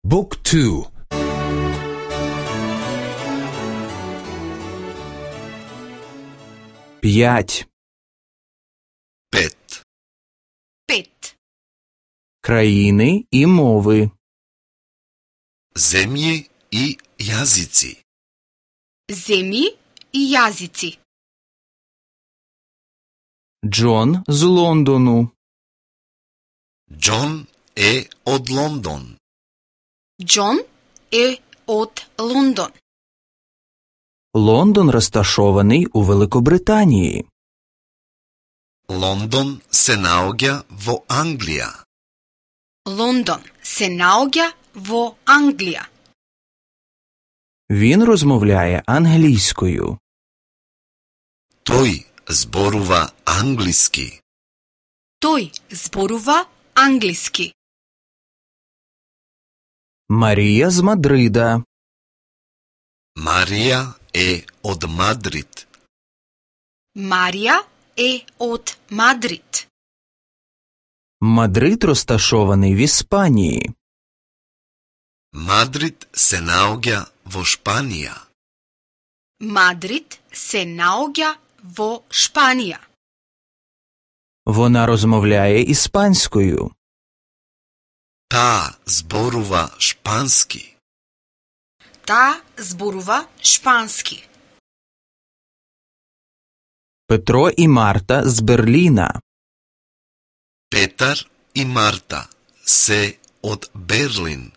Book 2. П'ять. Пет. Пет. Країни і мови. Земји и јазици. Земји и јазици. Джон з Лондону. Џон е од Лондон. Џон е од Лондон. Лондон розташований у Великобританії. Лондон се наоѓа во Англија. Лондон се наоѓа во Англија. Він розмовляє англійською. Тој зборува англиски. Тој зборува англиски. Марія з Мадрида. Марија е од Мадрид. Марија е од Мадрид. Мадрид розташований в Іспанії. Мадрид се наоѓа во Шпанија. Мадрид се наоѓа во Шпанија. Вона розмовляє іспанською. Таа зборува шпански. Таа зборува шпански. Петро і Марта з Берліна. Петар и Марта се од Берлин.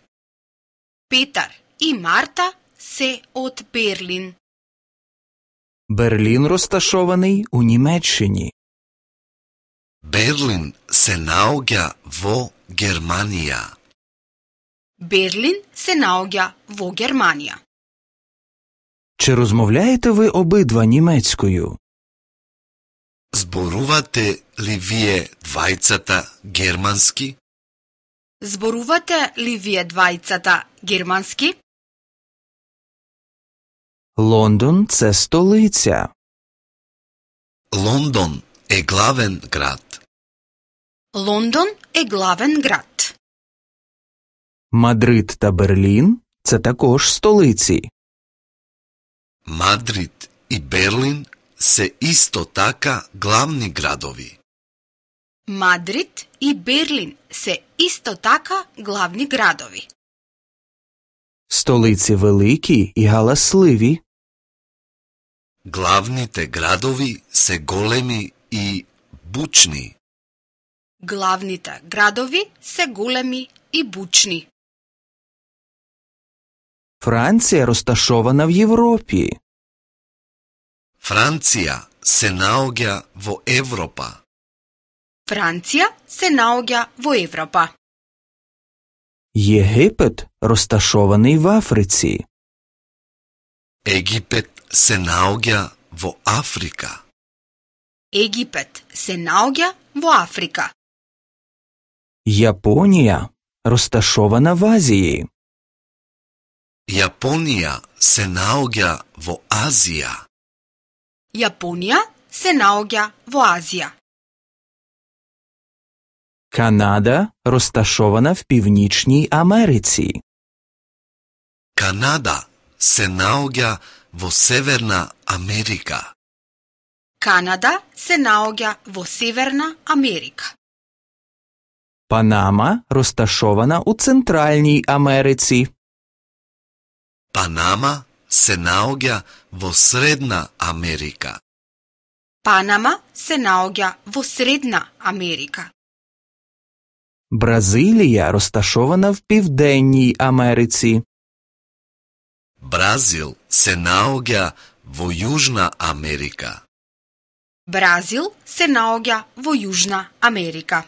Петар и Марта се од Берлин. Берлін розташований у Німеччині. Берлин се наоѓа во Германија. Берлин се наоѓа во Германија. Чи розмовляєте ви обидва німецькою? Зборувате ли вие двајцата германски? Зборувате ли вие двајцата германски? Лондон – це столиця. Лондон е главен град. Лондон е главен град. Мадрид та Берлін – це також столиці. Мадрид и Берлин се исто така главни градови. Мадрид и Берлин се исто така главни градови. Столиці великі і галасливі. Главните градови се големи и бучни. Главните градови се големи и бучни. Франція розташована в Європі. Франција се наоѓа во Европа. Франција се наоѓа во Европа. Єгипет розташований в Африці. Египет се наоѓа во Африка. Египет се наоѓа во Африка. Японія розташована в Азії. Јапонија се наоѓа во Азија. Јапонија се наоѓа во Азија. Канада розташована в Північній Америці. Канада се наоѓа во Северна Америка. Канада се наоѓа во Северна Америка. Панама розташована у Центральній Америці. Панама се наоѓа во Средна Америка. Панама се наоѓа во Средна Америка. Бразилія розташована в Південній Америці. Бразил се наоѓа во Јужна Америка. Бразил се наоѓа во Јужна Америка.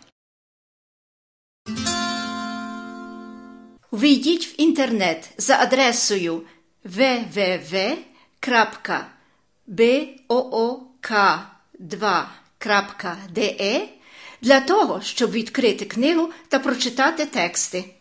Війдіть в інтернет за адресою www.book2.de для того, щоб відкрити книгу та прочитати тексти.